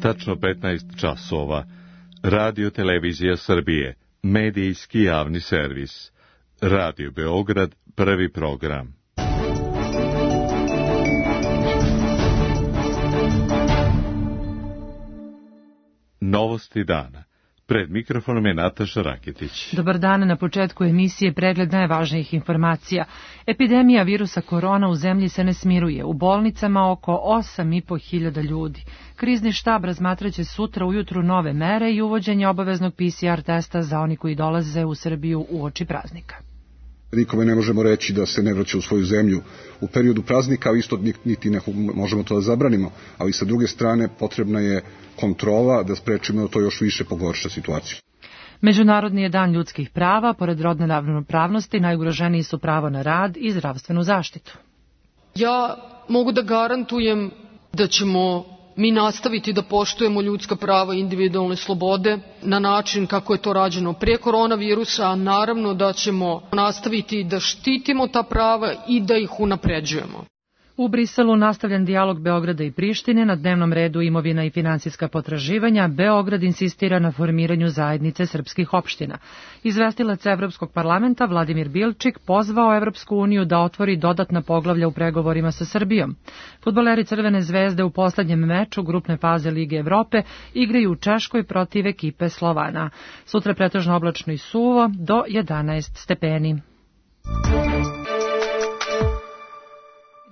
tačno 15 časova. Radio Televizija Srbije, medijski javni servis. Radio Beograd, prvi program. Novosti dana. Pred mikrofonom je Nataša Raketić. Dobar dan, na početku emisije pregled najvažnijih informacija. Epidemija virusa korona u zemlji se ne smiruje. U bolnicama oko 8.500 ljudi. Krizni štab razmatraće sutra ujutru nove mere i uvođenje obaveznog PCR testa za oni koji dolaze u Srbiju uoči praznika. Nikome ne možemo reći da se ne vraća u svoju zemlju u periodu praznika, a isto niti ne možemo to da zabranimo, ali sa druge strane potrebna je kontrola da sprečimo da to još više pogorša situaciju. Međunarodni je dan ljudskih prava, pored rodne ravnopravnosti najugroženiji su pravo na rad i zdravstvenu zaštitu. Ja mogu da garantujem da ćemo mi nastaviti da poštujemo ljudska prava i individualne slobode na način kako je to rađeno pre koronavirusa, a naravno da ćemo nastaviti da štitimo ta prava i da ih unapređujemo. U Briselu nastavljen dijalog Beograda i Prištine, na dnevnom redu imovina i finansijska potraživanja. Beograd insistira na formiranju zajednice srpskih opština. Izvestilac Evropskog parlamenta Vladimir Bilčik pozvao Evropsku uniju da otvori dodatna poglavlja u pregovorima sa Srbijom. Fudbaleri Crvene zvezde u poslednjem meču grupne faze Lige Evrope igraju u Češkoj protiv ekipe Slovana. Sutra pretežno oblačno i suvo do 11 stepeni.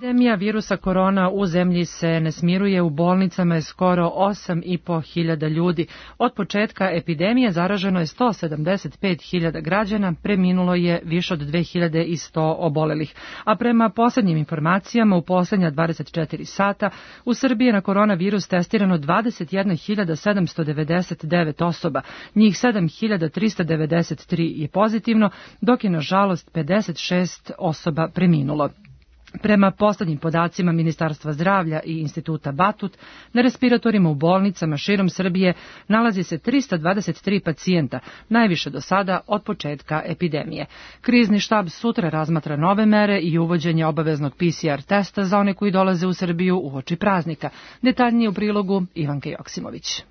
Epidemija virusa korona u zemlji se ne smiruje, u bolnicama je skoro 8.500 ljudi. Od početka epidemije zaraženo je 175.000 građana, preminulo je više od 2.100 obolelih. A prema posljednjim informacijama, u posljednja 24 sata u Srbiji je na koronavirus testirano 21.799 osoba. Njih 7.393 je pozitivno, dok je nažalost 56 osoba preminulo. Prema poslednjim podacima Ministarstva zdravlja i Instituta Batut, na respiratorima u bolnicama širom Srbije nalazi se 323 pacijenta, najviše do sada od početka epidemije. Krizni štab sutra razmatra nove mere i uvođenje obaveznog PCR testa za one koji dolaze u Srbiju uoči praznika. Detaljnije u prilogu Ivanke Joksimović.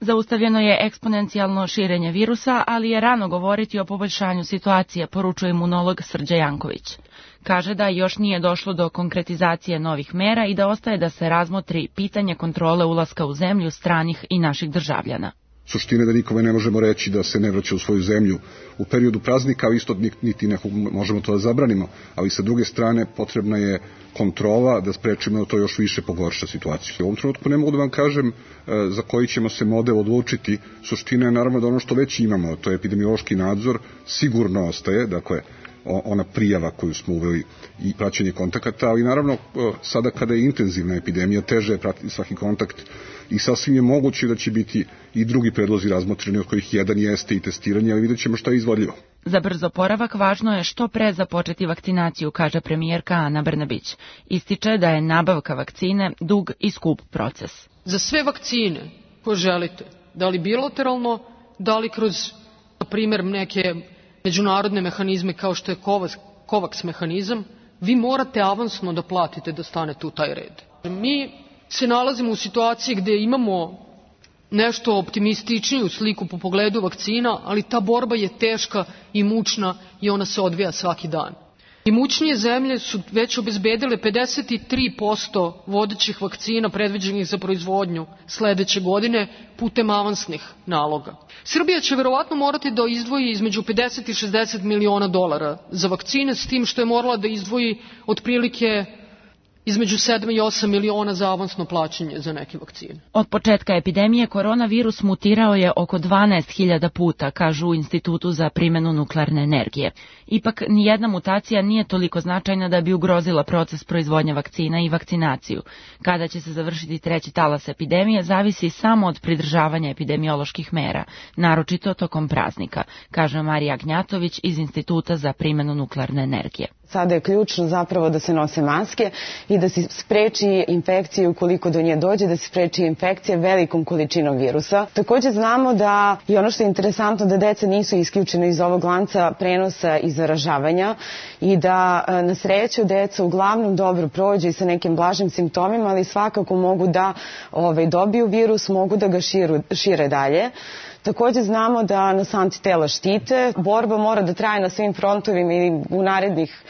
Zaustavljeno je eksponencijalno širenje virusa, ali je rano govoriti o poboljšanju situacije, poručuje imunolog Srđa Janković. Kaže da još nije došlo do konkretizacije novih mera i da ostaje da se razmotri pitanje kontrole ulaska u zemlju stranih i naših državljana. Suština je da nikome ne možemo reći da se ne vraća u svoju zemlju u periodu praznika, a isto niti ne možemo to da zabranimo, ali sa druge strane potrebna je kontrola da sprečimo da to još više pogorša situaciju. U ovom trenutku ne mogu da vam kažem za koji ćemo se model odlučiti. Suština je naravno da ono što već imamo, to je epidemiološki nadzor, sigurno ostaje, dakle ona prijava koju smo uveli i praćenje kontakata, ali naravno sada kada je intenzivna epidemija, teže je pratiti svaki kontakt i sasvim je moguće da će biti i drugi predlozi razmotreni, od kojih jedan jeste i testiranje, ali vidjet ćemo šta je izvodljivo. Za brz oporavak važno je što pre započeti vakcinaciju, kaže premijerka Ana Brnabić. Ističe da je nabavka vakcine dug i skup proces. Za sve vakcine koje želite, da li bilateralno, da li kroz, na primjer, neke međunarodne mehanizme kao što je COVAX mehanizam, vi morate avansno da platite da stanete u taj red. Mi se nalazimo u situaciji gde imamo nešto optimističniju sliku po pogledu vakcina, ali ta borba je teška i mučna i ona se odvija svaki dan. Imućnije zemlje su već obezbedile 53% vodećih vakcina predviđenih za proizvodnju sledeće godine putem avansnih naloga. Srbija će verovatno morati da izdvoji između 50 i 60 miliona dolara za vakcine, s tim što je morala da izdvoji otprilike između 7 i 8 miliona za avansno plaćanje za neke vakcine. Od početka epidemije koronavirus mutirao je oko 12.000 puta, kažu u Institutu za primjenu nuklearne energije. Ipak, nijedna mutacija nije toliko značajna da bi ugrozila proces proizvodnje vakcina i vakcinaciju. Kada će se završiti treći talas epidemije, zavisi samo od pridržavanja epidemioloških mera, naročito tokom praznika, kaže Marija Gnjatović iz Instituta za primjenu nuklearne energije. Sada je ključno zapravo da se nose maske i da se spreči infekcije ukoliko do nje dođe, da se spreči infekcije velikom količinom virusa. Takođe znamo da i ono što je interesantno da deca nisu isključena iz ovog lanca prenosa i zaražavanja i da na sreću deca uglavnom dobro prođu i sa nekim blažim simptomima, ali svakako mogu da dobiju virus, mogu da ga šire dalje. Takođe znamo da nas antitela štite. Borba mora da traje na svim frontovima ili u narednih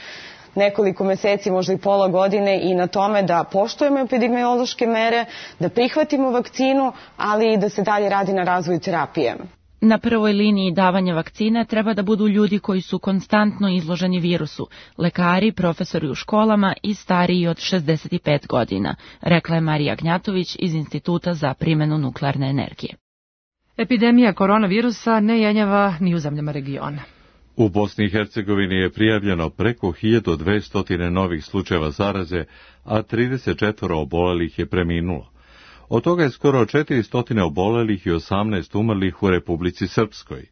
nekoliko meseci, možda i pola godine, i na tome da poštujemo epidemiološke mere, da prihvatimo vakcinu, ali i da se dalje radi na razvoju terapije. Na prvoj liniji davanja vakcine treba da budu ljudi koji su konstantno izloženi virusu, lekari, profesori u školama i stariji od 65 godina, rekla je Marija Gnjatović iz Instituta za primenu nuklearne energije. Epidemija koronavirusa ne jenjava ni u zemljama regiona. U Bosni i Hercegovini je prijavljeno preko 1200 novih slučajeva zaraze, a 34 obolelih je preminulo. Od toga je skoro 400 obolelih i 18 umrlih u Republici Srpskoj.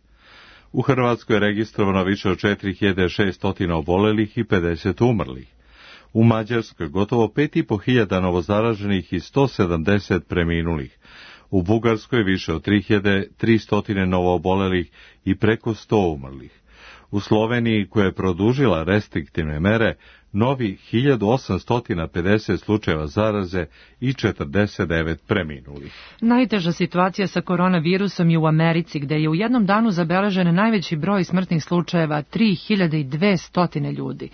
U Hrvatskoj je registrovano više od 4600 obolelih i 50 umrlih. U Mađarskoj gotovo 5500 novozaraženih i 170 preminulih. U Bugarskoj više od 3300 novoobolelih i preko 100 umrlih. U Sloveniji, koja je produžila restriktivne mere, novi 1850 slučajeva zaraze i 49 preminulih. Najteža situacija sa koronavirusom je u Americi, gde je u jednom danu zabeležen najveći broj smrtnih slučajeva, 3200 ljudi.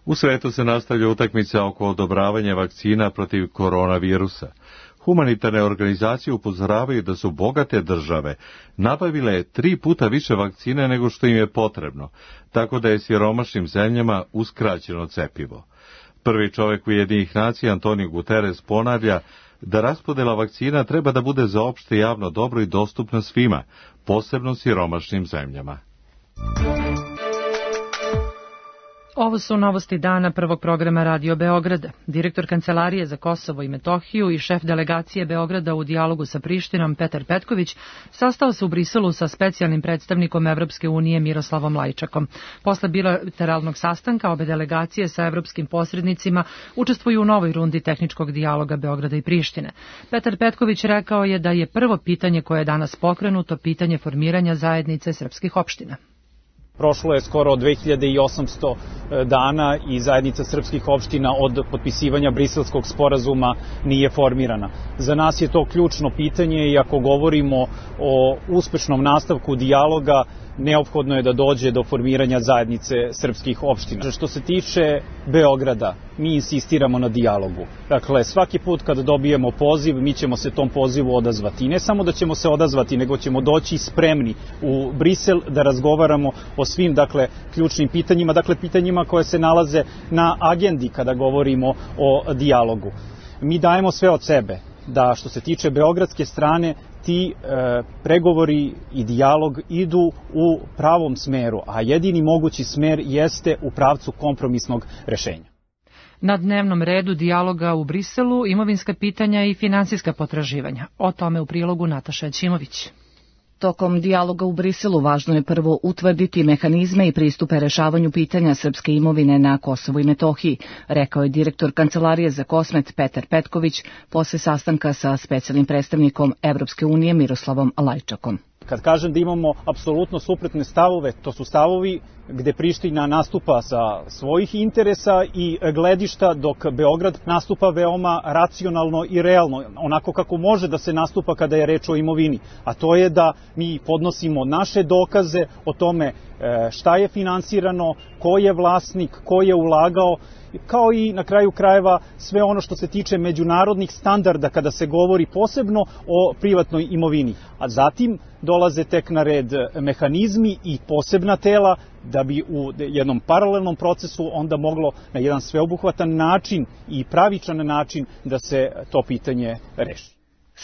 U svetu se nastavlja utakmica oko odobravanja vakcina protiv koronavirusa. Humanitarne organizacije upozoravaju da su bogate države nabavile 3 puta više vakcine nego što im je potrebno, tako da je siromašnim zemljama uskraćeno cepivo. Prvi čovjek Ujedinjenih nacija, Antonio Guterres, ponavlja da raspodela vakcina treba da bude za opšte javno dobro i dostupna svima, posebno siromašnim zemljama. Ovo su novosti dana prvog programa Radio Beograda. Direktor Kancelarije za Kosovo i Metohiju i šef delegacije Beograda u dijalogu sa Prištinom, Petar Petković, sastao se u Briselu sa specijalnim predstavnikom Evropske unije Miroslavom Lajčakom. Posle bilateralnog sastanka obe delegacije sa evropskim posrednicima učestvuju u novoj rundi tehničkog dijaloga Beograda i Prištine. Petar Petković rekao je da je prvo pitanje koje je danas pokrenuto pitanje formiranja zajednice srpskih opština. Prošlo je skoro 2800 dana i zajednica srpskih opština od potpisivanja Briselskog sporazuma nije formirana. Za nas je to ključno pitanje i ako govorimo o uspešnom nastavku dijaloga, neophodno je da dođe do formiranja zajednice srpskih opština. Što se tiče Beograda, mi insistiramo na dijalogu. Dakle, svaki put kad dobijemo poziv, mi ćemo se tom pozivu odazvati. I ne samo da ćemo se odazvati, nego ćemo doći spremni u Brisel da razgovaramo o svim, ključnim pitanjima, pitanjima koje se nalaze na agendi kada govorimo o dijalogu. Mi dajemo sve od sebe da što se tiče beogradske strane ti pregovori i dijalog idu u pravom smeru, a jedini mogući smer jeste u pravcu kompromisnog rešenja. Na dnevnom redu dijaloga u Briselu imovinska pitanja i finansijska potraživanja. O tome u prilogu Nataša Ćimović. Tokom dijaloga u Briselu važno je prvo utvrditi mehanizme i pristupe rešavanju pitanja srpske imovine na Kosovu i Metohiji, rekao je direktor Kancelarije za Kosmet Petar Petković posle sastanka sa specijalnim predstavnikom Evropske unije Miroslavom Lajčakom. Kad kažem da imamo apsolutno suprotne stavove, to su stavovi gde Priština nastupa sa svojih interesa i gledišta, dok Beograd nastupa veoma racionalno i realno, onako kako može da se nastupa kada je reč o imovini. A to je da mi podnosimo naše dokaze o tome šta je finansirano, ko je vlasnik, ko je ulagao, kao i na kraju krajeva sve ono što se tiče međunarodnih standarda kada se govori posebno o privatnoj imovini. A zatim dolaze tek na red mehanizmi i posebna tela da bi u jednom paralelnom procesu onda moglo na jedan sveobuhvatan način i pravičan način da se to pitanje reši.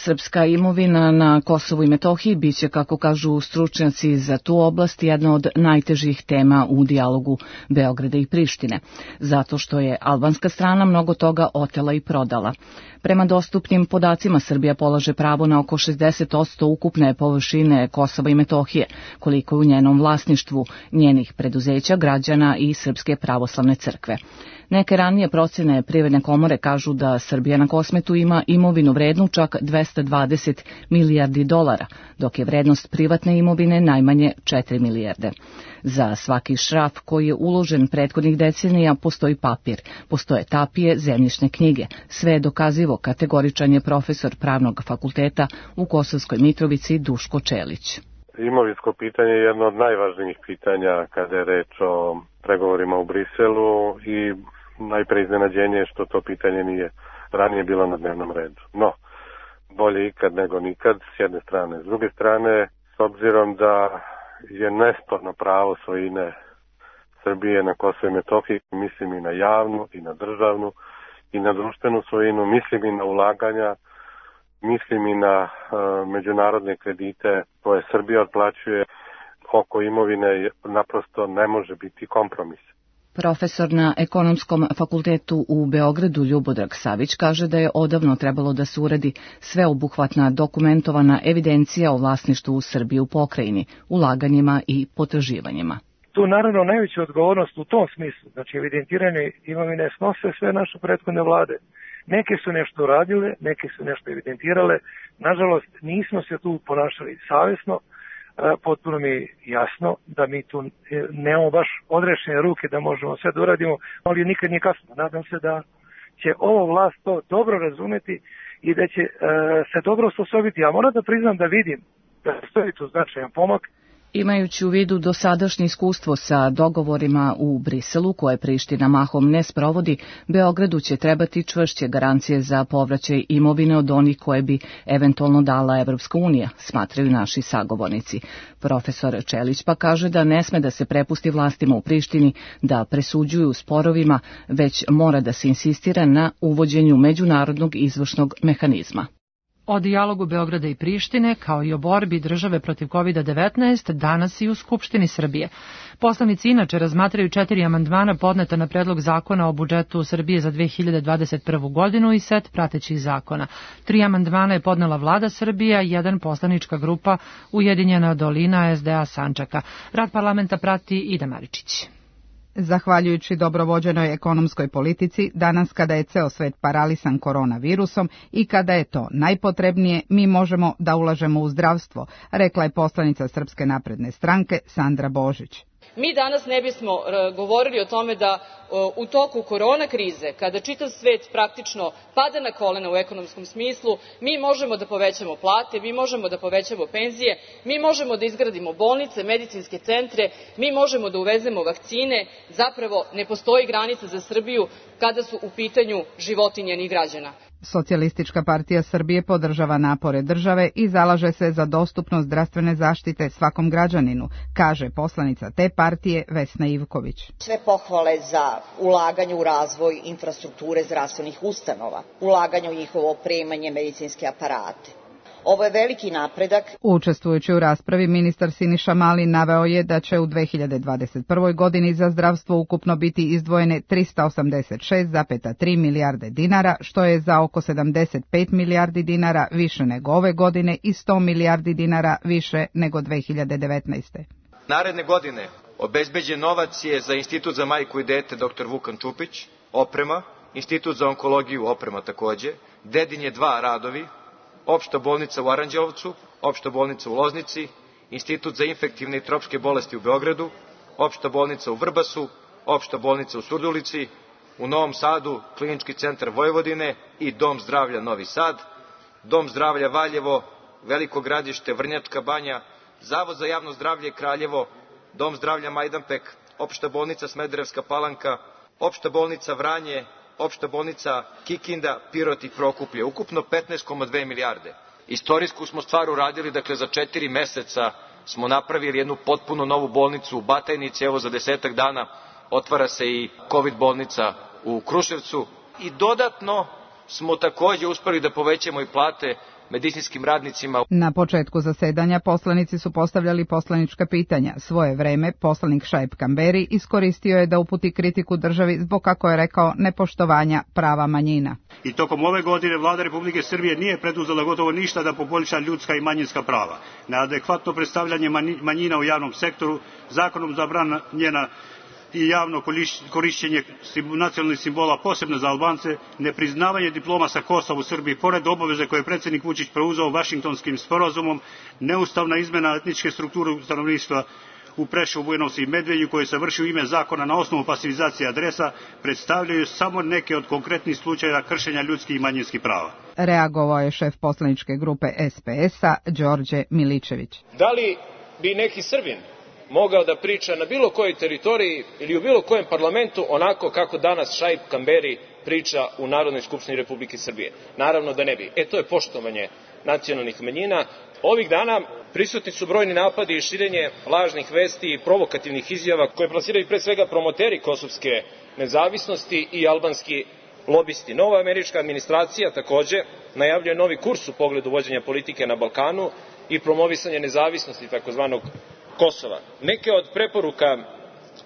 Srpska imovina na Kosovu i Metohiji biće, kako kažu stručnjaci za tu oblast, jedna od najtežih tema u dijalogu Beograda i Prištine, zato što je albanska strana mnogo toga otela i prodala. Prema dostupnim podacima, Srbija polaže pravo na oko 60% ukupne površine Kosova i Metohije, koliko je u njenom vlasništvu, njenih preduzeća, građana i Srpske pravoslavne crkve. Neke ranije procene Privredne komore kažu da Srbija na Kosmetu ima imovinu vrednu čak 220 milijardi dolara, dok je vrednost privatne imovine najmanje 4 milijarde. Za svaki šraf koji je uložen prethodnih decenija postoji papir, postoje tapije, zemljišne knjige. Sve je dokazivo, kategoričan je profesor Pravnog fakulteta u Kosovskoj Mitrovici Duško Čelić. Imovinsko pitanje je jedno od najvažnijih pitanja kada je reč o pregovorima u Briselu i najpre iznenađenje što to pitanje nije ranije bilo na dnevnom redu. No, bolje ikad nego nikad, s jedne strane. S druge strane, s obzirom da je nesporno pravo svojine Srbije na Kosovu i Metohiji, mislim i na javnu, i na državnu, i na društvenu svojinu, mislim i na ulaganja, mislim i na međunarodne kredite koje Srbija otplaćuje. Oko imovine naprosto ne može biti kompromis. Profesor na Ekonomskom fakultetu u Beogradu Ljubodrag Savić kaže da je odavno trebalo da se uradi sveobuhvatna dokumentovana evidencija o vlasništvu u Srbiji u pokrajini, ulaganjima i potraživanjima. Tu naravno najveću odgovornost u tom smislu, znači evidentiranje imovine, snose sve naše prethodne vlade. Neke su nešto uradile, neke su nešto evidentirale. Nažalost, nismo se tu ponašali savjesno. Potpuno mi je jasno da mi tu nemamo baš odrešene ruke da možemo sve da uradimo, ali nikad nije kasno. Nadam se da će ova vlast to dobro razumeti i da će se dobro osposobiti. Ja moram da priznam da vidim da stoji tu značajan pomak. Imajući u vidu dosadašnje iskustvo sa dogovorima u Briselu, koje Priština mahom ne sprovodi, Beogradu će trebati čvršće garancije za povraćaj imovine od onih koje bi eventualno dala Evropska unija, smatraju naši sagovornici. Profesor Čelić pa kaže da ne sme da se prepusti vlastima u Prištini da presuđuju sporovima, već mora da se insistira na uvođenju međunarodnog izvršnog mehanizma. O dijalogu Beograda i Prištine, kao i o borbi države protiv COVID-19, danas i u Skupštini Srbije. Poslanici inače razmatraju 4 amandmana podneta na predlog zakona o budžetu Srbije za 2021. godinu i set pratećih zakona. 3 amandmana je podnela vlada Srbije, 1 poslanička grupa Ujedinjena dolina SDA Sandžaka. Rad parlamenta prati Ida Maričić. Zahvaljujući dobrovođenoj ekonomskoj politici, danas kada je ceo svet paralisan koronavirusom i kada je to najpotrebnije, mi možemo da ulažemo u zdravstvo, rekla je poslanica Srpske napredne stranke Sandra Božić. Mi danas ne bismo govorili o tome da u toku korona krize, kada čitav svet praktično pada na kolena u ekonomskom smislu, mi možemo da povećamo plate, mi možemo da povećamo penzije, mi možemo da izgradimo bolnice, medicinske centre, mi možemo da uvezemo vakcine. Zapravo ne postoji granica za Srbiju kada su u pitanju životi njenih građana. Socijalistička partija Srbije podržava napore države i zalaže se za dostupnost zdravstvene zaštite svakom građaninu, kaže poslanica te partije Vesna Ivković. Sve pohvale za ulaganje u razvoj infrastrukture zdravstvenih ustanova, ulaganje u njihovo opremanje, medicinske aparate. Ovo je veliki napredak. Učestvujući u raspravi, ministar Siniša Mali naveo je da će u 2021. godini za zdravstvo ukupno biti izdvojene 386,3 milijarde dinara, što je za oko 75 milijardi dinara više nego ove godine i 100 milijardi dinara više nego 2019. Naredne godine obezbeđen novac je za Institut za majku i dete dr. Vukan Čupić, oprema, Institut za onkologiju, oprema takođe, Dedinje 2 radovi, Opšta bolnica u Aranđelovcu, Opšta bolnica u Loznici, Institut za infektivne i tropske bolesti u Beogradu, Opšta bolnica u Vrbasu, Opšta bolnica u Surdulici, u Novom Sadu Klinički centar Vojvodine i Dom zdravlja Novi Sad, Dom zdravlja Valjevo, Veliko Gradište, Vrnjačka Banja, Zavod za javno zdravlje Kraljevo, Dom zdravlja Majdanpek, Opšta bolnica Smederevska Palanka, Opšta bolnica Vranje, Opšta bolnica Kikinda, Pirot i Prokuplje, ukupno 15,2 milijarde. Istorijsku smo stvar uradili, dakle za 4 meseca smo napravili jednu potpuno novu bolnicu u Batajnici, evo za 10 dana otvara se i COVID bolnica u Kruševcu i dodatno smo takođe uspeli da povećamo i plate medicinskim radnicima. Na početku zasedanja poslanici su postavljali poslanička pitanja. Svoje vreme poslanik Šaip Kamberi iskoristio je da uputi kritiku državi zbog, kako je rekao, nepoštovanja prava manjina. I tokom ove godine vlada Republike Srbije nije preduzela gotovo ništa da poboljša ljudska i manjinska prava. Neadekvatno predstavljanje manjina u javnom sektoru, zakonom zabranjena i javno korišćenje nacionalnih simbola, posebno za Albance, nepriznavanje diploma sa Kosova u Srbiji, pored obaveze koje je predsjednik Vučić preuzeo Vašingtonskim sporazumom, neustavna izmena etničke strukture stanovništva u Preševu, Bujanovcu i Medveđi, koje se vrši u ime zakona na osnovu pasivizacije adresa, predstavljaju samo neke od konkretnih slučajeva kršenja ljudskih i manjinskih prava. Reagovao je šef poslaničke grupe SPS-a, Đorđe Miličević. Da li bi neki Srbin mogao da priča na bilo kojoj teritoriji ili u bilo kojem parlamentu onako kako danas Šaip Kamberi priča u Narodnoj skupštini Republike Srbije? Naravno da ne bi. To je poštovanje nacionalnih manjina. Ovih dana prisutni su brojni napadi i širenje lažnih vesti i provokativnih izjava koje plasiraju pre svega promoteri kosovske nezavisnosti i albanski lobisti. Nova američka administracija takođe najavljuje novi kurs u pogledu vođenja politike na Balkanu i promovisanje nezavisnosti takozvanog Kosova. Neke od preporuka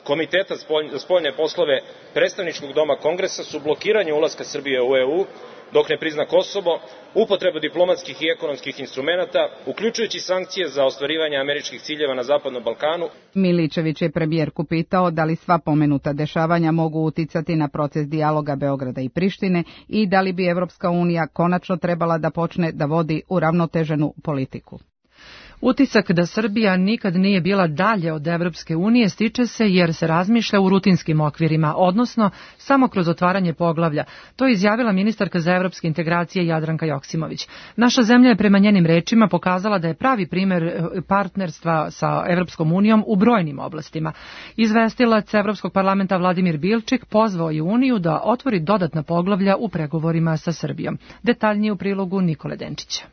Komiteta za spoljne poslove predstavničkog doma Kongresa su blokiranje ulaska Srbije u EU dok ne prizna Kosovo, upotreba diplomatskih i ekonomskih instrumenata, uključujući sankcije za ostvarivanje američkih ciljeva na Zapadnom Balkanu. Miličević je premijerku pitao da li sva pomenuta dešavanja mogu uticati na proces dijaloga Beograda i Prištine i da li bi Evropska unija konačno trebala da počne da vodi uravnoteženu politiku. Utisak da Srbija nikad nije bila dalje od Evropske unije stiče se jer se razmišlja u rutinskim okvirima, odnosno samo kroz otvaranje poglavlja. To je izjavila ministarka za evropske integracije Jadranka Joksimović. Naša zemlja je prema njenim rečima pokazala da je pravi primer partnerstva sa Evropskom unijom u brojnim oblastima. Izvestilac Evropskog parlamenta Vladimir Bilčik pozvao je Uniju da otvori dodatna poglavlja u pregovorima sa Srbijom. Detaljnije u prilogu Nikole Denčića.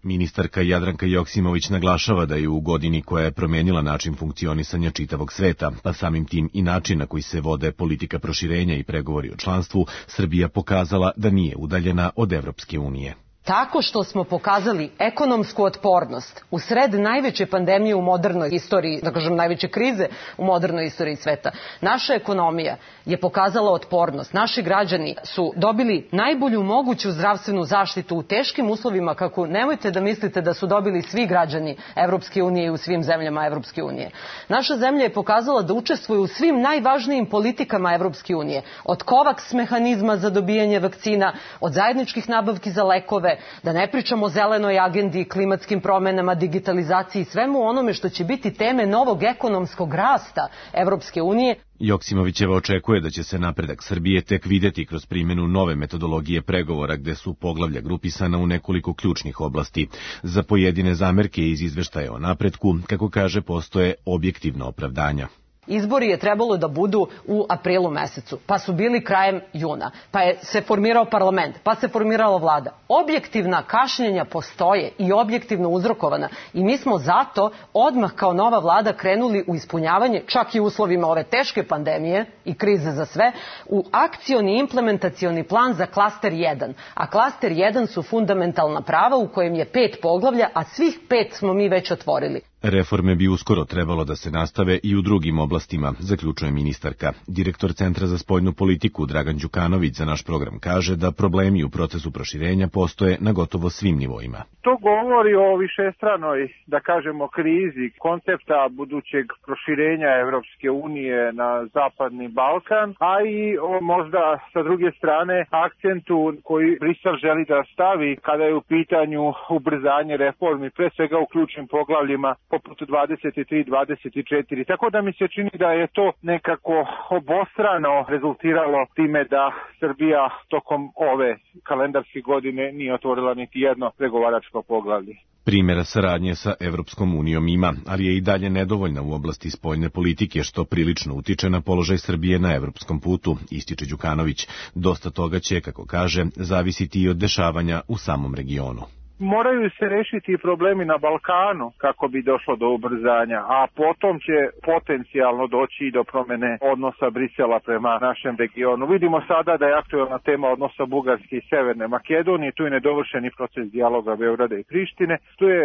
Ministarka Jadranka Joksimović naglašava da je u godini koja je promenila način funkcionisanja čitavog sveta, pa samim tim i način na koji se vode politika proširenja i pregovori o članstvu, Srbija pokazala da nije udaljena od Evropske unije. Tako što smo pokazali ekonomsku otpornost u sred najveće pandemije u modernoj istoriji, da kažem najveće krize u modernoj istoriji sveta. Naša ekonomija je pokazala otpornost. Naši građani su dobili najbolju moguću zdravstvenu zaštitu u teškim uslovima, kako nemojte da mislite da su dobili svi građani Evropske unije i u svim zemljama Evropske unije. Naša zemlja je pokazala da učestvuje u svim najvažnijim politikama Evropske unije. Od COVAX mehanizma za dobijanje vakcina, od zajedničkih nabavki za lekove, da ne pričamo o zelenoj agendi, klimatskim promenama, digitalizaciji i svemu onome što će biti teme novog ekonomskog rasta Evropske unije. Joksimovićeva očekuje da će se napredak Srbije tek videti kroz primjenu nove metodologije pregovora gde su poglavlja grupisana u nekoliko ključnih oblasti. Za pojedine zamerke iz izveštaja o napretku, kako kaže, postoje objektivna opravdanja. Izbori je trebalo da budu u aprilu mesecu, pa su bili krajem juna, pa je se formirao parlament, pa se formirala vlada. Objektivna kašnjenja postoje i objektivno uzrokovana i mi smo zato odmah kao nova vlada krenuli u ispunjavanje, čak i u uslovima ove teške pandemije i krize za sve, u akcioni implementacioni plan za klaster 1. A klaster 1 su fundamentalna prava u kojem je 5 poglavlja, a svih 5 smo mi već otvorili. Reforme bi uskoro trebalo da se nastave i u drugim oblastima, zaključuje ministarka. Direktor Centra za spoljnu politiku Dragan Đukanović za naš program kaže da problemi u procesu proširenja postoje na gotovo svim nivoima. To govori o višestranoj, da kažemo, krizi koncepta budućeg proširenja Evropske unije na Zapadni Balkan, a i možda sa druge strane akcentu koji Brisel želi da stavi kada je u pitanju ubrzanje reformi, pre svega u ključnim poglavljima poput 23-24. Tako da mi se čini da je to nekako obostrano rezultiralo time da Srbija tokom ove kalendarske godine nije otvorila niti jedno pregovaračko poglavlje. Primjera saradnje sa Evropskom unijom ima, ali je i dalje nedovoljna u oblasti spoljne politike, što prilično utiče na položaj Srbije na evropskom putu, ističe Đukanović. Dosta toga će, kako kaže, zavisiti i od dešavanja u samom regionu. moraju se rešiti problemi na Balkanu kako bi došlo do ubrzanja, a potom će potencijalno doći i do promene odnosa Brisela prema našem regionu. Vidimo sada da je aktuelna tema odnosa Bugarske i Severne Makedonije, tu je nedovršeni proces dijaloga Beograda i Prištine, tu je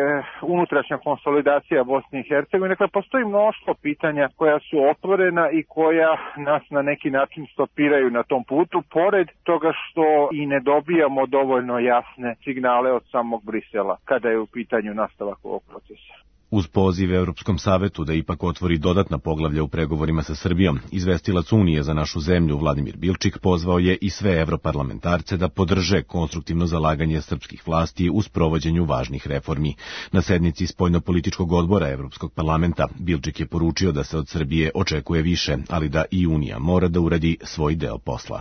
unutrašnja konsolidacija Bosne i Hercegovine. Dakle, postoji mnoštvo pitanja koja su otvorena i koja nas na neki način stopiraju na tom putu, pored toga što i ne dobijamo dovoljno jasne signale od samog Brisela kada je u pitanju nastavak ovog procesa. Uz poziv Europskom savetu da ipak otvori dodatna poglavlja u pregovorima sa Srbijom, izvestilac Unije za našu zemlju Vladimir Bilčik pozvao je i sve evroparlamentarce da podrže konstruktivno zalaganje srpskih vlasti u sprovođenju važnih reformi. Na sednici Spoljnopolitičkog odbora Evropskog parlamenta Bilčik je poručio da se od Srbije očekuje više, ali da i Unija mora da uradi svoj deo posla.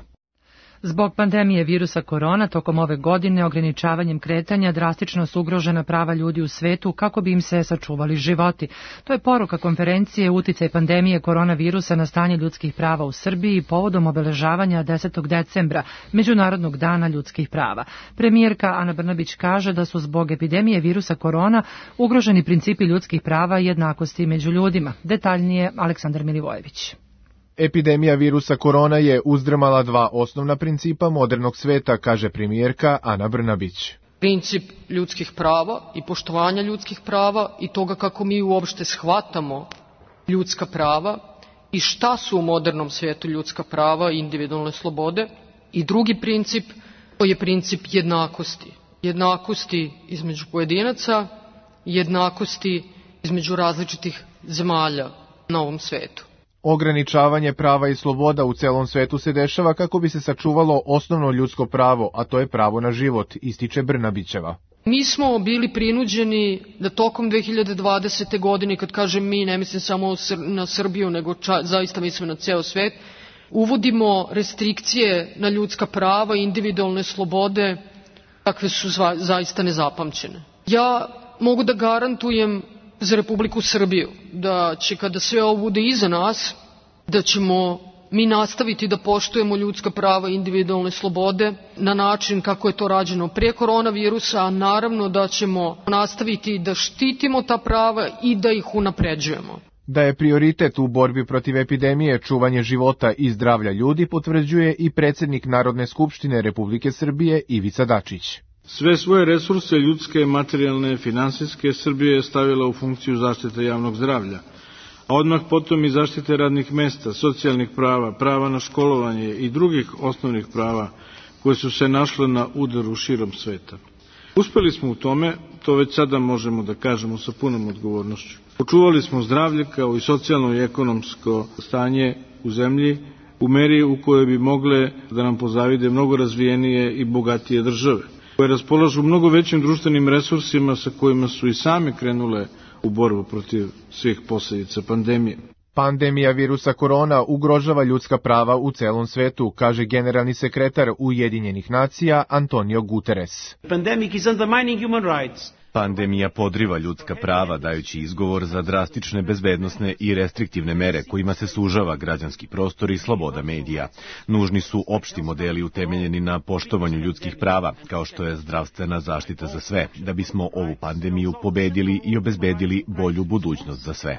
Zbog pandemije virusa korona, tokom ove godine ograničavanjem kretanja drastično su ugrožena prava ljudi u svetu kako bi im se sačuvali životi. To je poruka konferencije Uticaj pandemije koronavirusa na stanje ljudskih prava u Srbiji povodom obeležavanja 10. decembra, Međunarodnog dana ljudskih prava. Premijerka Ana Brnabić kaže da su zbog epidemije virusa korona ugroženi principi ljudskih prava i jednakosti među ljudima. Detaljnije Aleksandar Milivojević. Epidemija virusa korona je uzdrmala dva osnovna principa modernog sveta, kaže premijerka Ana Brnabić. Princip ljudskih prava i poštovanja ljudskih prava i toga kako mi uopšte shvatamo ljudska prava i šta su u modernom svetu ljudska prava i individualne slobode. I drugi princip, to je princip jednakosti. Jednakosti između pojedinaca, jednakosti između različitih zemalja na ovom svetu. Ograničavanje prava i sloboda u celom svetu se dešava kako bi se sačuvalo osnovno ljudsko pravo, a to je pravo na život, ističe Brnabićeva. Mi smo bili prinuđeni da tokom 2020. godine, kad kažem mi, ne mislim samo na Srbiju, nego zaista mislim na ceo svet, uvodimo restrikcije na ljudska prava i individualne slobode, kakve su zaista nezapamćene. Ja mogu da garantujem za Republiku Srbiju da će, kada sve ovo bude iza nas, da ćemo mi nastaviti da poštujemo ljudska prava i individualne slobode na način kako je to rađeno pre koronavirusa, a naravno da ćemo nastaviti da štitimo ta prava i da ih unapređujemo. Da je prioritet u borbi protiv epidemije čuvanje života i zdravlja ljudi potvrđuje i predsjednik Narodne skupštine Republike Srbije Ivica Dačić. Sve svoje resurse, ljudske, materijalne, finansijske, Srbija je stavila u funkciju zaštite javnog zdravlja, a odmah potom i zaštite radnih mesta, socijalnih prava, prava na školovanje i drugih osnovnih prava koje su se našle na udaru širom sveta. Uspeli smo u tome, to već sada možemo da kažemo sa punom odgovornošću. Očuvali smo zdravlje kao i socijalno i ekonomsko stanje u zemlji u meri u kojoj bi mogle da nam pozavide mnogo razvijenije i bogatije države, koje raspolažu mnogo većim društvenim resursima sa kojima su i same krenule u borbu protiv svih posljedica pandemije. Pandemija virusa korona ugrožava ljudska prava u celom svetu, kaže generalni sekretar Ujedinjenih nacija Antonio Guterres. Pandemija podriva ljudska prava, dajući izgovor za drastične bezbednosne i restriktivne mere kojima se sužava građanski prostor i sloboda medija. Nužni su opšti modeli utemeljeni na poštovanju ljudskih prava, kao što je zdravstvena zaštita za sve, da bismo ovu pandemiju pobedili i obezbedili bolju budućnost za sve.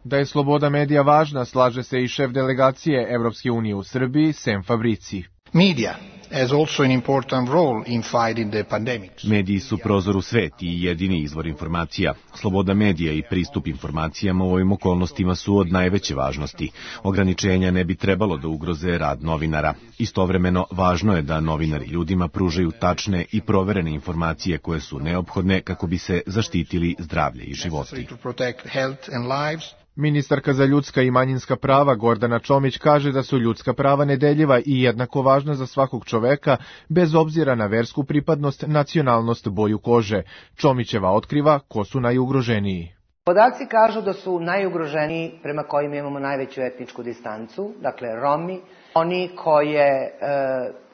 Da je sloboda medija važna, slaže se i šef delegacije Evropske unije u Srbiji, Sem Fabrici. Media has also an important role in fighting the pandemic. Mediji su prozor u svet i jedini izvor informacija. Sloboda medija i pristup informacijama u ovim okolnostima su od najveće važnosti. Ograničenja ne bi trebalo da ugroze rad novinara. Istovremeno, važno je da novinari ljudima pružaju tačne i proverene informacije koje su neophodne kako bi se zaštitili zdravlje i životi. Ministarka za ljudska i manjinska prava Gordana Čomić kaže da su ljudska prava nedeljiva i jednako važna za svakog čoveka, bez obzira na versku pripadnost, nacionalnost, boju kože. Čomićeva otkriva ko su najugroženiji. Podaci kažu da su najugroženiji prema kojima imamo najveću etničku distancu, dakle Romi, oni koje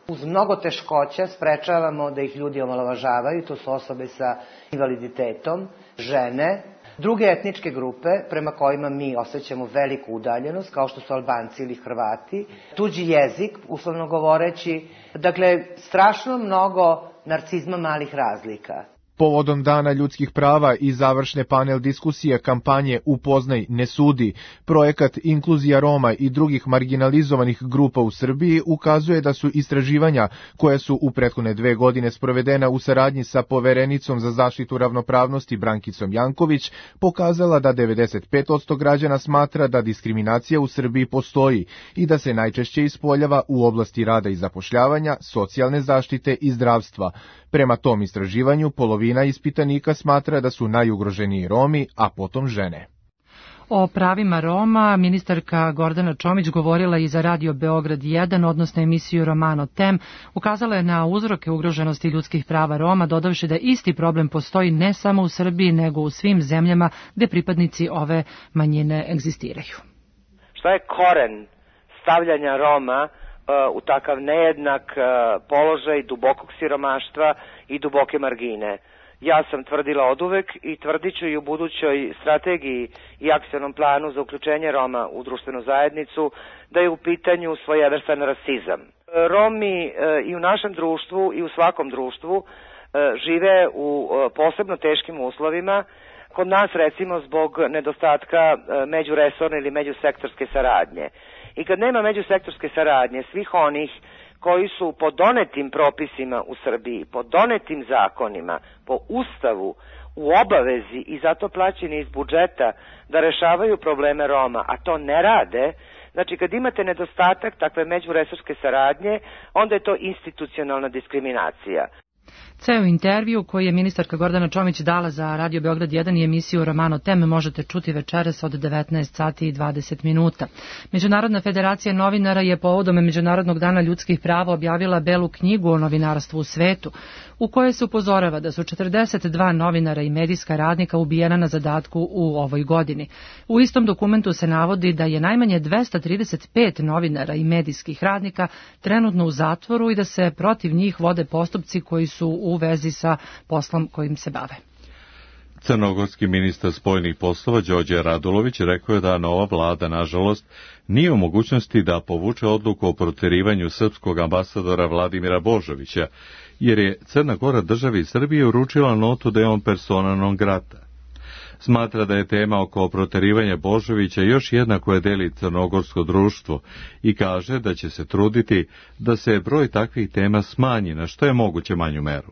uz mnogo teškoća sprečavamo da ih ljudi omalovažavaju, to su osobe sa invaliditetom, žene, druge etničke grupe prema kojima mi osjećamo veliku udaljenost, kao što su Albanci ili Hrvati, tuđi jezik, uslovno govoreći, dakle strašno mnogo narcizma malih razlika. Povodom Dana ljudskih prava i završne panel diskusije kampanje Upoznaj, ne sudi, projekat Inkluzija Roma i drugih marginalizovanih grupa u Srbiji ukazuje da su istraživanja koja su u prethodne 2 godine sprovedena u saradnji sa Poverenicom za zaštitu ravnopravnosti Brankicom Janković pokazala da 95% građana smatra da diskriminacija u Srbiji postoji i da se najčešće ispoljava u oblasti rada i zapošljavanja, socijalne zaštite i zdravstva. Prema tom istraživanju, polovina ispitanika smatra da su najugroženiji Romi, a potom žene. O pravima Roma ministarka Gordana Čomić govorila i za Radio Beograd 1, odnosno emisiju Romano Tem. Ukazala je na uzroke ugroženosti ljudskih prava Roma, dodavši da isti problem postoji ne samo u Srbiji, nego u svim zemljama gde pripadnici ove manjine egzistiraju. Šta je koren stavljanja Roma u takav nejednak položaj dubokog siromaštva i duboke margine? Ja sam tvrdila oduvek i tvrdit ću i u budućoj strategiji i akcionom planu za uključenje Roma u društvenu zajednicu da je u pitanju svojevrstan rasizam. Romi i u našem društvu i u svakom društvu žive u posebno teškim uslovima. Kod nas recimo zbog nedostatka međuresorne ili međusektorske saradnje. I kad nema međusektorske saradnje svih onih koji su po donetim propisima u Srbiji, po donetim zakonima, po Ustavu, u obavezi i zato plaćeni iz budžeta da rešavaju probleme Roma, a to ne rade, znači kad imate nedostatak takve međuresorske saradnje, onda je to institucionalna diskriminacija. Ceo intervju koji je ministarka Gordana Čomić dala za Radio Beograd 1 i emisiju Romano Tem možete čuti večeras od 19 sati i 20 minuta. Međunarodna federacija novinara je povodom Međunarodnog dana ljudskih prava objavila belu knjigu o novinarstvu u svetu, u kojoj se upozorava da su 42 novinara i medijska radnika ubijena na zadatku u ovoj godini. U istom dokumentu se navodi da je najmanje 235 novinara i medijskih radnika trenutno u zatvoru i da se protiv njih vode postupci koji su u vezi sa poslom kojim se bave. Crnogorski ministar spoljnih poslova Đorđe Radulović rekao je da nova vlada, nažalost, nije u mogućnosti da povuče odluku o proterivanju srpskog ambasadora Vladimira Božovića, jer je Crna Gora državi Srbije uručila notu da je on persona non grata. Smatra da je tema oko proterivanja Božovića još jedna koja deli crnogorsko društvo i kaže da će se truditi da se broj takvih tema smanji na što je moguće manju meru.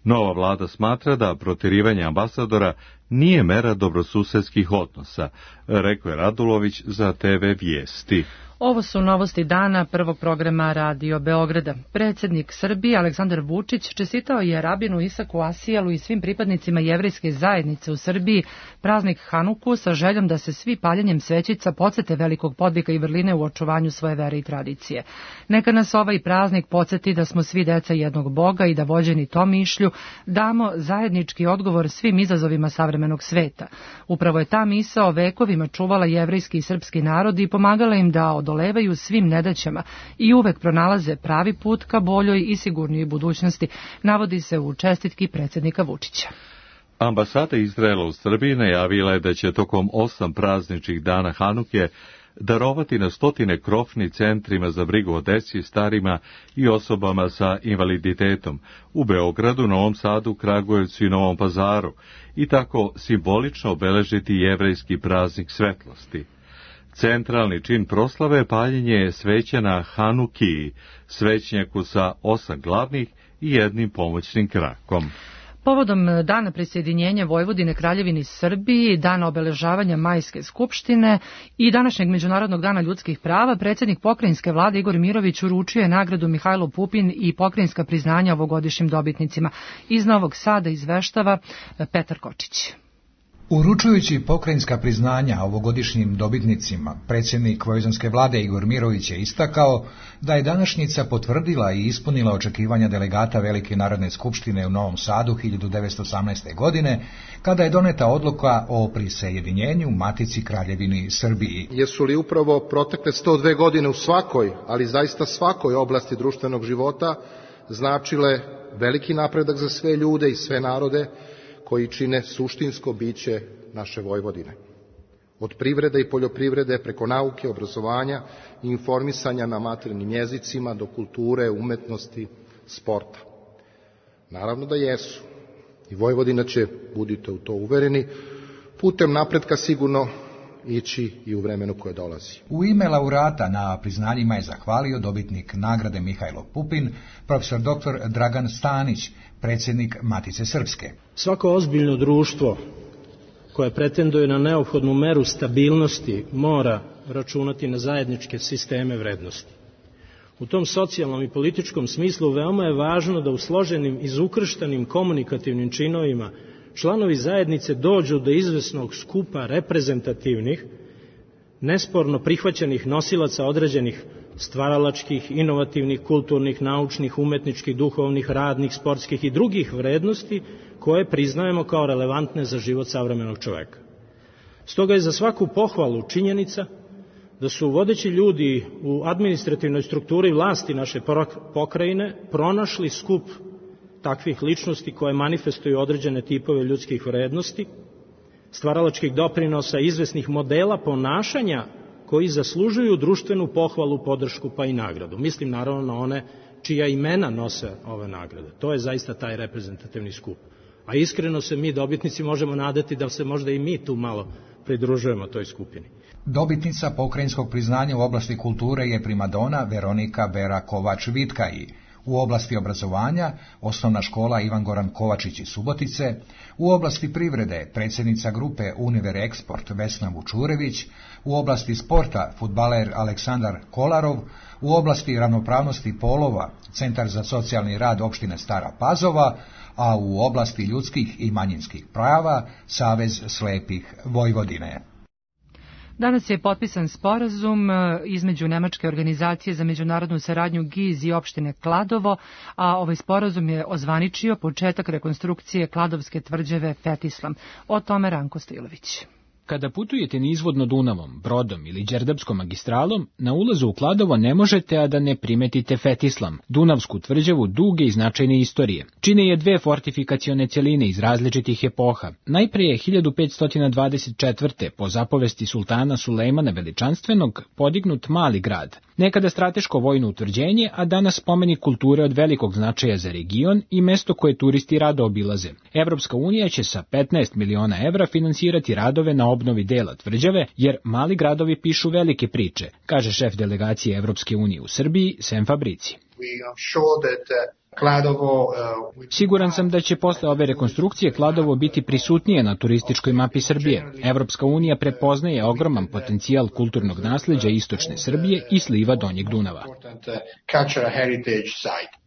Nova vlada smatra da proterivanje ambasadora nije mera dobrosusedskih odnosa, rekao je Radulović za TV Vijesti. Ovo su novosti dana prvog programa Radio Beograda. Predsjednik Srbije Aleksandar Vučić čestitao je rabinu Isaku Asijalu i svim pripadnicima jevrejske zajednice u Srbiji praznik Hanuku sa željom da se svi paljenjem svećica podsete velikog podvika i vrline u očuvanju svoje vere i tradicije. Neka nas ovaj praznik podsjeti da smo svi deca jednog Boga i da vođeni tom mišlju damo zajednički odgovor svim izazovima savremenog sveta. Upravo je ta misao vekovima čuvala jevrejski i srpski narod i pomagala im da odolevaju svim nedaćama i uvek pronalaze pravi put ka boljoj i sigurnijoj budućnosti, navodi se u čestitki predsjednika Vučića. Ambasada Izraela u Srbiji najavila je da će tokom 8 prazničnih dana Hanuke darovati na stotine krofni centrima za brigu o deci, starima i osobama sa invaliditetom u Beogradu, Novom Sadu, Kragujevcu i Novom Pazaru i tako simbolično obeležiti jevrejski praznik svetlosti. Centralni čin proslave je paljenje sveća na Hanukiji, svećnjaku sa 8 glavnih i jednim pomoćnim krakom. Povodom dana prisjedinjenja Vojvodine Kraljevini Srbiji, dana obeležavanja Majske skupštine i današnjeg Međunarodnog dana ljudskih prava, predsjednik pokrajinske vlade Igor Mirović uručio je nagradu Mihajlo Pupin i pokrajinska priznanja ovogodišnjim dobitnicima. Iz Novog Sada izveštava Petar Kočić. Uručujući pokrajinska priznanja ovogodišnjim dobitnicima, predsjednik vojvođanske vlade Igor Mirović je istakao da je današnjica potvrdila i ispunila očekivanja delegata Velike narodne skupštine u Novom Sadu 1918. godine, kada je doneta odluka o prisajedinjenju Matici Kraljevini Srbiji. Jesu li upravo protekle 102 godine u svakoj, ali zaista svakoj oblasti društvenog života značile veliki napredak za sve ljude i sve narode koji čine suštinsko biće naše Vojvodine. Od privrede i poljoprivrede preko nauke, obrazovanja i informisanja na maternjim jezicima do kulture, umetnosti, sporta. Naravno da jesu. I Vojvodina će, budite u to uvereni, putem napretka sigurno ići i u vremenu koje dolazi. U ime laureata na priznanjima je zahvalio dobitnik nagrade Mihajlo Pupin, profesor dr. Dragan Stanić, predsjednik Matice Srpske. Svako ozbiljno društvo koje pretenduje na neophodnu meru stabilnosti mora računati na zajedničke sisteme vrednosti. U tom socijalnom i političkom smislu veoma je važno da u složenim, izukrštanim komunikativnim činovima članovi zajednice dođu do izvesnog skupa reprezentativnih, nesporno prihvaćenih nosilaca određenih stvaralačkih, inovativnih, kulturnih, naučnih, umetničkih, duhovnih, radnih, sportskih i drugih vrednosti koje priznajemo kao relevantne za život savremenog čoveka. Stoga je za svaku pohvalu činjenica da su vodeći ljudi u administrativnoj strukturi vlasti naše pokrajine pronašli skup takvih ličnosti koje manifestuju određene tipove ljudskih vrednosti, stvaralačkih doprinosa, izvesnih modela ponašanja koji zaslužuju društvenu pohvalu, podršku pa i nagradu. Mislim naravno na one čija imena nose ove nagrade. To je zaista taj reprezentativni skup. A iskreno se mi dobitnici možemo nadati da se možda i mi tu malo pridružujemo toj skupini. Dobitnica pokrajinskog priznanja u oblasti kulture je primadona Veronika Vera Kovač-Vitkaji. U oblasti obrazovanja osnovna škola Ivan Goran Kovačić iz Subotice, u oblasti privrede predsjednica grupe Univer Eksport Vesna Vučurević, u oblasti sporta fudbaler Aleksandar Kolarov, u oblasti ravnopravnosti polova Centar za socijalni rad opštine Stara Pazova, a u oblasti ljudskih i manjinskih prava Savez slepih Vojvodine. Danas je potpisan sporazum između Nemačke organizacije za međunarodnu saradnju GIZ i opštine Kladovo, a ovaj sporazum je ozvaničio početak rekonstrukcije Kladovske tvrđave Fetislam. O tome Ranko Stilović. Kada putujete nizvodno Dunavom, brodom ili Đerdapskom magistralom, na ulazu u Kladovo ne možete a da ne primetite Fetislam, Dunavsku tvrđavu duge i značajne istorije. Čine je dve fortifikacione celine iz različitih epoha. Najpre je 1524. po zapovesti sultana Sulejmana Veličanstvenog podignut mali grad, nekada strateško vojno utvrđenje, a danas spomenik kulture od velikog značaja za region i mesto koje turisti rado obilaze. Evropska unija će sa 15 miliona evra finansirati radove na obnovi dela tvrđave, jer mali gradovi pišu velike priče, kaže šef delegacije Evropske unije u Srbiji, Sem Fabrici. Siguran sam da će posle ove rekonstrukcije Kladovo biti prisutnije na turističkoj mapi Srbije. Evropska unija prepoznaje ogroman potencijal kulturnog nasleđa istočne Srbije i sliva Donjeg Dunava.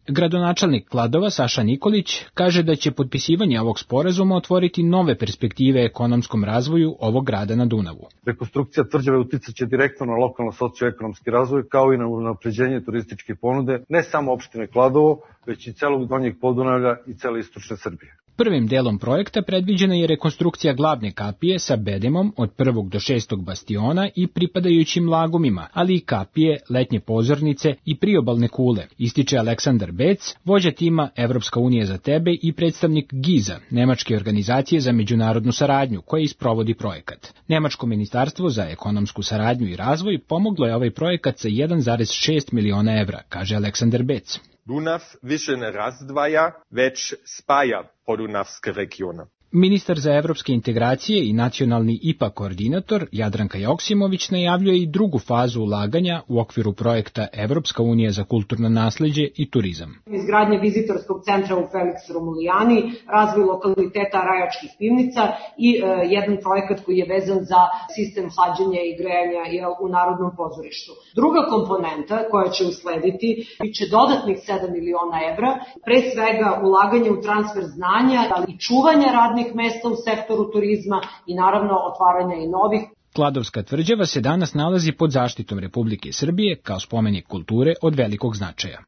Gradonačelnik Kladova Saša Nikolić kaže da će potpisivanje ovog sporazuma otvoriti nove perspektive ekonomskom razvoju ovog grada na Dunavu. Rekonstrukcija tvrđave uticaće direktno na lokalno socioekonomski razvoj kao i na unapređenje turističke ponude ne samo opštine Kladovo, već i celog Donjeg Podunavlja i cele istočne Srbije. Prvim delom projekta predviđena je rekonstrukcija glavne kapije sa bedemom od 1. do 6. bastiona i pripadajućim lagumima, ali i kapije, letnje pozornice i priobalne kule, ističe Aleksandar Bec, vođa tima Evropska unija za tebe i predstavnik GIZ-a, Nemačke organizacije za međunarodnu saradnju, koja isprovodi projekat. Nemačko ministarstvo za ekonomsku saradnju i razvoj pomoglo je ovaj projekat sa 1,6 miliona evra, kaže Aleksandar Bec. Dunav više ne razdvaja, već spaja podunavske regione. Ministar za evropske integracije i nacionalni IPA koordinator Jadranka Joksimović najavljuje i drugu fazu ulaganja u okviru projekta Evropska unija za kulturno nasleđe i turizam. Izgradnje vizitorskog centra u Felix Romulijani, razvoj lokaliteta Rajačkih pivnica i jedan projekat koji je vezan za sistem hlađenja i grejanja u Narodnom pozorištu. Druga komponenta koja će uslediti biće dodatnih 7 miliona evra, pre svega ulaganje u transfer znanja, ali i čuvanja radnih mesta u sektoru turizma i naravno otvaranja i novih. Kladovska tvrđava se danas nalazi pod zaštitom Republike Srbije kao spomenik kulture od velikog značaja.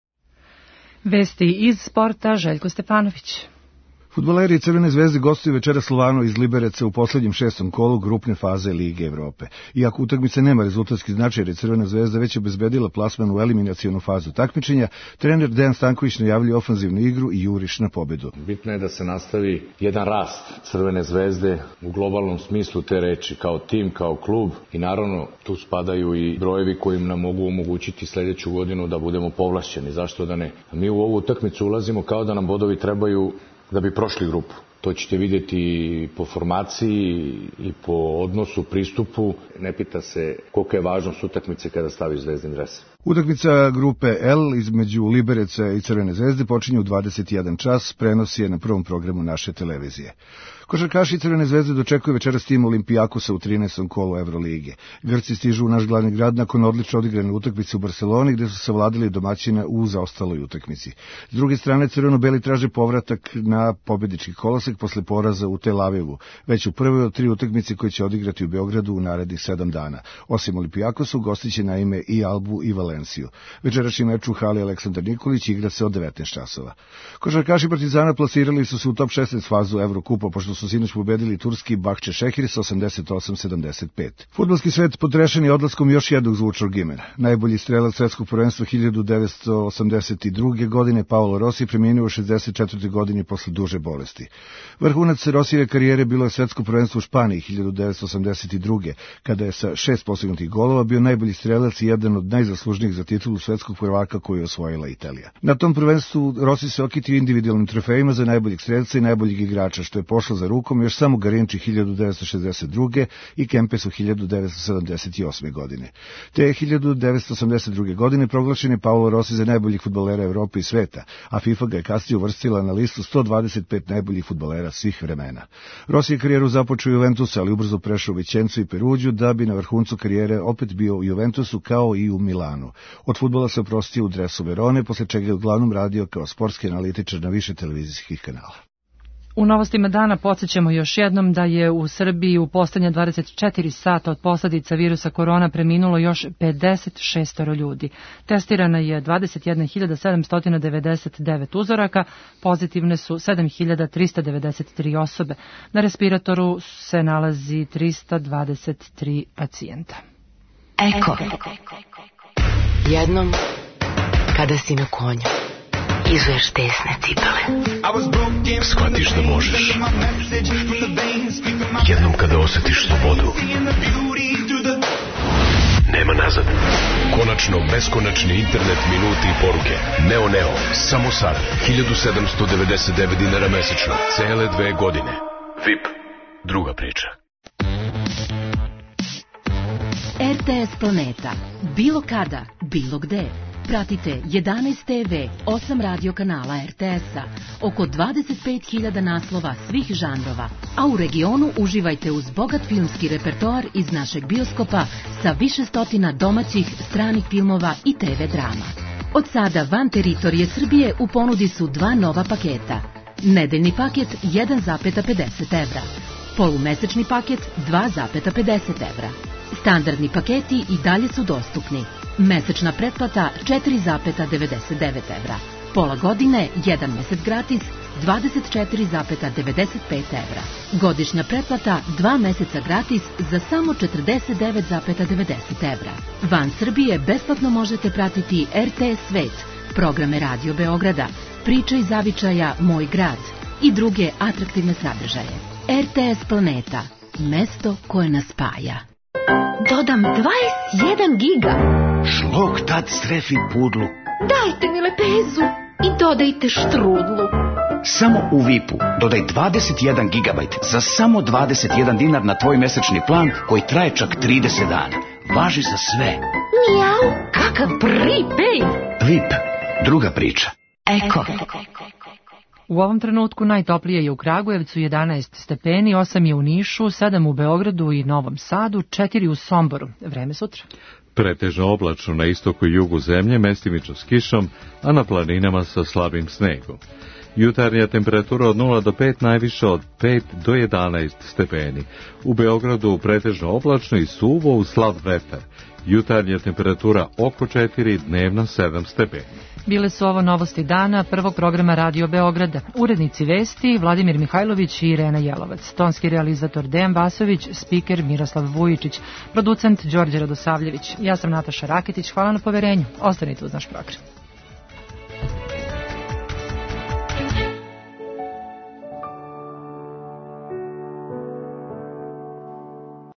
Vesti iz sporta, Željko Stefanović. Fudbaleri Crvene zvezde gostuju večeras Slovanu iz Libereca u poslednjem 6. kolu grupne faze Lige Evrope. Iako utakmica nema rezultatski značaj jer je Crvena zvezda već obezbedila plasman u eliminacionu fazu takmičenja, trener Dejan Stanković najavljuje ofanzivnu igru i juriš na pobedu. Bitno je da se nastavi jedan rast Crvene zvezde u globalnom smislu te reči, kao tim, kao klub, i naravno tu spadaju i brojevi koji nam mogu omogućiti sledeću godinu da budemo povlašćeni. Zašto da ne? Mi u ovu utakmicu ulazimo kao da nam bodovi trebaju da bi prošli grupu. To ćete vidjeti po formaciji i po odnosu, pristupu. Ne pita se kolika je važnost utakmice kada stavi zvezdin dres. Utakmica grupe L između Libereca i Crvene zvezde počinje u 21 čas, prenosi je na prvom programu naše televizije. Košarkaši Crvene zvezde dočekuju večeras tim Olimpijakosa u 13. kolu Evrolige. Grci stižu u naš glavni grad nakon odlično odigrane utakmice u Barseloni, gde su savladali domaćina u zaostaloj utakmici. S druge strane, crveno-beli traže povratak na pobednički kolosek posle poraza u Tel Avivu, već u prvoj od 3 utakmice koje će odigrati u Beogradu u narednih 7 dana. Osim Olimpijakosu, gostiće naime i Albu i Valenciju. Večerašnji meč u hali Aleksandar Nikolić igra se od 19 časova. Košarkaši Partizana plasirali su se u top 16 fazu Evrokupa, pošto su sinoć pobedili turski Bahče Šehir sa 88-75. Fudbalski svet potrešen je odlaskom još jednog zvučnog imena. Najbolji strelac svetskog prvenstva 1982. godine Paolo Rossi preminuo u 64. godini posle duže bolesti. Vrhunac Rossijeve karijere bilo je svetsko prvenstvo u Španiji 1982. kada je sa 6 postignutih golova bio najbolji strelac i jedan od najzaslužnijih za titulu svetskog prvaka koju je osvojila Italija. Na tom prvenstvu Rossi se okitio individualnim trofejima za najboljeg strelca i najboljeg igrača, što je pošlo za rukom još samo Garinči 1962. i Kempesu 1978. godine. Te 1982. godine proglašen je Paolo Rossi za najboljih fudbalera Evrope i sveta, a FIFA ga je kasnije uvrstila na listu 125 najboljih fudbalera svih vremena. Rossi je karijeru započeo u Juventusu, ali ubrzo prešao u Vicencu i Peruđu, da bi na vrhuncu karijere opet bio u Juventusu kao i u Milanu. Od fudbala se oprostio u dresu Verone, posle čega je uglavnom radio kao sportski analitičar na više televizijskih kanala. U novostima dana podsjećamo još jednom da je u Srbiji u poslednje 24 sata od posledica virusa korona preminulo još 56 ljudi. Testirana je 21.799 uzoraka, pozitivne su 7.393 osobe. Na respiratoru se nalazi 323 pacijenta. Eko. Jednom, kada si na konju, izuješ tesne cipele. Shvatiš da možeš. Jednom kada osjetiš slobodu. Nema nazad. Konačno beskonačni internet, minuti i poruke. Neo, samo sad. 1799 dinara mesečno. Cele 2 godine. VIP. Druga priča. RTS Planeta. Bilo kada, bilo gde. Pratite 11 TV, 8 radio kanala RTS-a, oko 25.000 naslova svih žanrova, a u regionu uživajte uz bogat filmski repertoar iz našeg bioskopa sa više stotina domaćih, stranih filmova i TV drama. Od sada van teritorije Srbije u ponudi su 2 nova paketa. Nedeljni paket 1,50 evra, polumesečni paket 2,50 evra. Standardni paketi i dalje su dostupni. Mesečna pretplata 4,99 evra. Pola godine, 1 mesec gratis, 24,95 evra. Godišnja pretplata 2 meseca gratis za samo 49,90 evra. Van Srbije besplatno možete pratiti RTS Svet, programe Radio Beograda, priče iz zavičaja Moj grad i druge atraktivne sadržaje. RTS Planeta, mesto koje nas spaja. Dodam 21 giga. Šlog tad strefi pudlu. Dajte mi lepezu i dodajte štrudlu. Samo u VIP-u dodaj 21 gigabajt za samo 21 dinar na tvoj mesečni plan koji traje čak 30 dana. Važi za sve. Mijau, kakav prepaid. VIP, druga priča. Eko. U ovom trenutku najtoplije je u Kragujevcu 11 stepeni, 8 je u Nišu, 7 u Beogradu i Novom Sadu, 4 u Somboru. Vreme sutra. Pretežno oblačno na istoku i jugu zemlje, mestimično s kišom, a na planinama sa slabim snegom. Jutarnja temperatura od 0 do 5, najviše od 5 do 11 stepeni. U Beogradu pretežno oblačno i suvo uz slab vetar. Jutarnja temperatura oko 4, dnevna 7 stepeni. Bile su ovo novosti dana prvog programa Radio Beograda. Urednici vesti Vladimir Mihajlović i Irena Jelovac. Tonski realizator Dejan Vasović, spiker Miroslav Vujičić, producent Đorđe Radosavljević. Ja sam Nataša Rakitić, hvala na poverenju. Ostanite uz naš program.